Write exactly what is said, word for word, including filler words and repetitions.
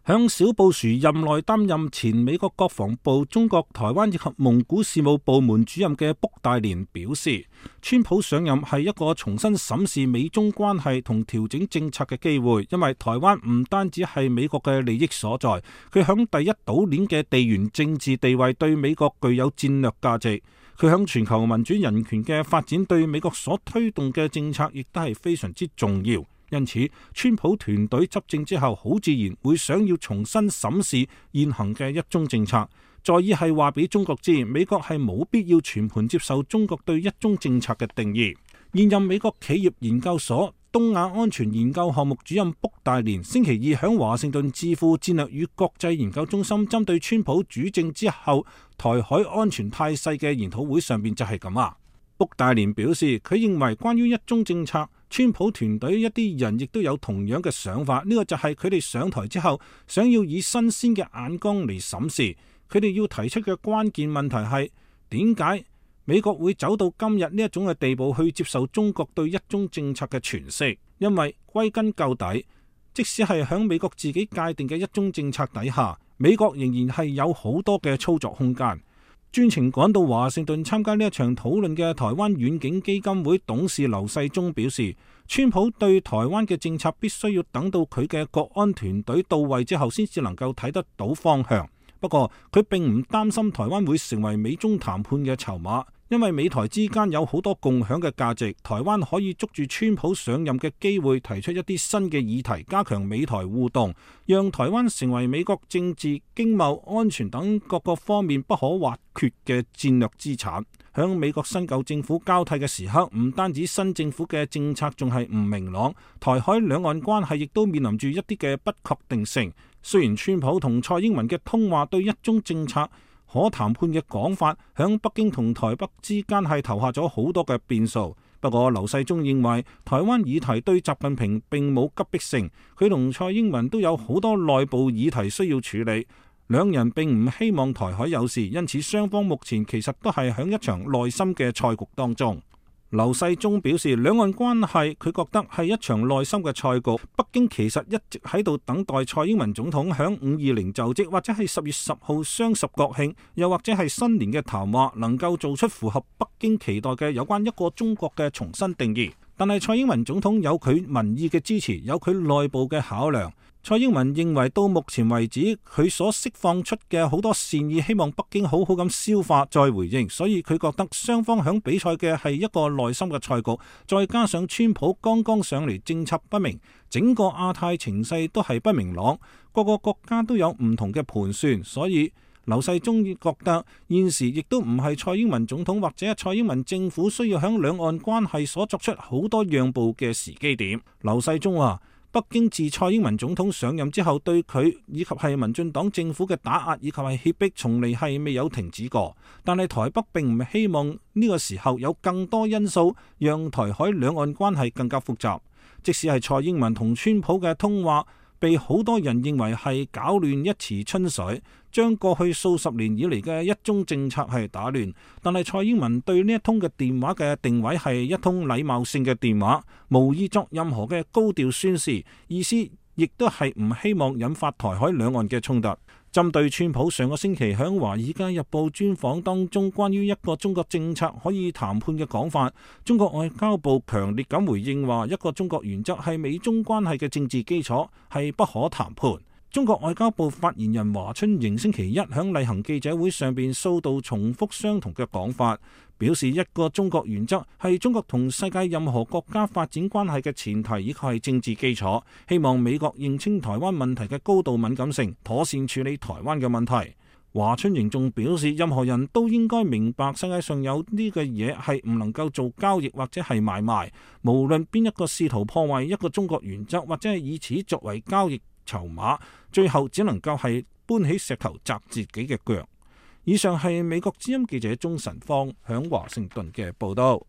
響小布殊任內擔任前美國國防部中國台灣以及蒙古事務部門主任嘅卜戴連表示，川普上任係一個重新審視美中關係同調整政策嘅機會，因為台灣唔單止係美國嘅利益所在，佢響第一島鏈嘅地緣政治地位對美國具有戰略價值，佢響全球民主人權嘅發展對美國所推動嘅政策亦都係非常之重要。因此，川普團隊執政之後，好自然會想要重新審視現行嘅一中政策，在意係話俾中國知，美國係冇必要全盤接受中國對一中政策嘅定義。現任美國企業研究所東亞安全研究項目主任卜戴連星期二響華盛頓智庫戰略與國際研究中心針對川普主政之後台海安全態勢嘅研討會上面就係咁啊。卜戴連表示，佢認為關於一中政策，川普團隊一啲人亦都有同樣嘅想法，呢個就係佢哋上台之後想要以新鮮嘅眼光嚟審視。佢哋要提出嘅關鍵問題係點解美國會走到今日呢一種嘅地步去接受中國對一中政策嘅詮釋？因為歸根究底，即使係響美國自己界定嘅一中政策底下，美國仍然係有好多嘅操作空間。專程趕到華盛頓參加呢一場討論嘅台灣遠景基金會董事劉世忠表示，川普對台灣嘅政策必須要等到佢嘅國安團隊到位之後先至能夠睇得到方向。不過佢並唔擔心台灣會成為美中談判嘅籌碼，因為美台之間有好多共享嘅價值，台灣可以捉住川普上任嘅機會，提出一啲新嘅議題，加強美台互動，讓台灣成為美國政治、經貿、安全等各個方面不可或缺嘅戰略資產。響美國新舊政府交替嘅時刻，唔單止新政府嘅政策仲係唔明朗，台海兩岸關係亦都面臨住一啲嘅不確定性。雖然川普同蔡英文嘅通話對一中政策可談判嘅講法，響北京同台北之間係投下咗好多嘅變數。不過劉世忠認為台灣議題對習近平並冇急迫性，佢同蔡英文都有好多內部議題需要處理，兩人並唔希望台海有事，因此雙方目前其實都係響一場內心嘅賽局當中。劉世忠表示，兩岸關係佢覺得係一場內心嘅賽局，北京其實一直喺度等待蔡英文總統響五二零就職，或者係十月十號雙十國慶，又或者係新年嘅談話，能夠做出符合北京期待嘅有關一個中國嘅重新定義。但係蔡英文總統有佢民意嘅支持，有佢內部嘅考量。蔡英文認為到目前為止，佢所釋放出嘅好多善意，希望北京好好咁消化再回應，所以佢覺得雙方響比賽嘅係一個內心嘅賽局，再加上川普剛剛上嚟，政策不明，整個亞太情勢都係不明朗，各個國家都有唔同嘅盤算，所以劉世忠覺得現時亦都唔係蔡英文總統或者蔡英文政府需要響兩岸關係所作出好多讓步嘅時機點。劉世忠話，北京自蔡英文總統上任之後，對佢以及係民進黨政府嘅打壓以及係脅迫，從嚟係未有停止過。但係台北並唔希望呢個時候有更多因素讓台海兩岸關係更加複雜。即使係蔡英文同川普嘅通話，被好多人認為係攪亂一池春水，將過去數十年以嚟嘅一中政策係打亂。但係蔡英文對呢一通嘅電話嘅定位係一通禮貌性嘅電話，無意作任何嘅高調宣示，意思亦都係唔希望引發台海兩岸嘅衝突。針對川普上個星期響《華爾街日報》專訪當中關於一個中國政策可以談判嘅講法，中國外交部強烈咁回應話，一個中國原則係美中關係嘅政治基礎，係不可談判。中國外交部發言人華春瑩星期一響例行記者會上邊數度重複相同嘅講法，表示一個中國原則係中國同世界任何國家發展關係嘅前提，以及係政治基礎。希望美國認清台灣問題嘅高度敏感性，妥善處理台灣嘅問題。華春瑩仲表示，任何人都應該明白世界上有呢個嘢係唔能夠做交易或者係買賣，無論邊一個試圖破壞一個中國原則或者係以此作為交易籌碼，最後只能夠係搬起石頭砸自己嘅腳。以上係美國之音記者鍾晨芳響華盛頓嘅報道。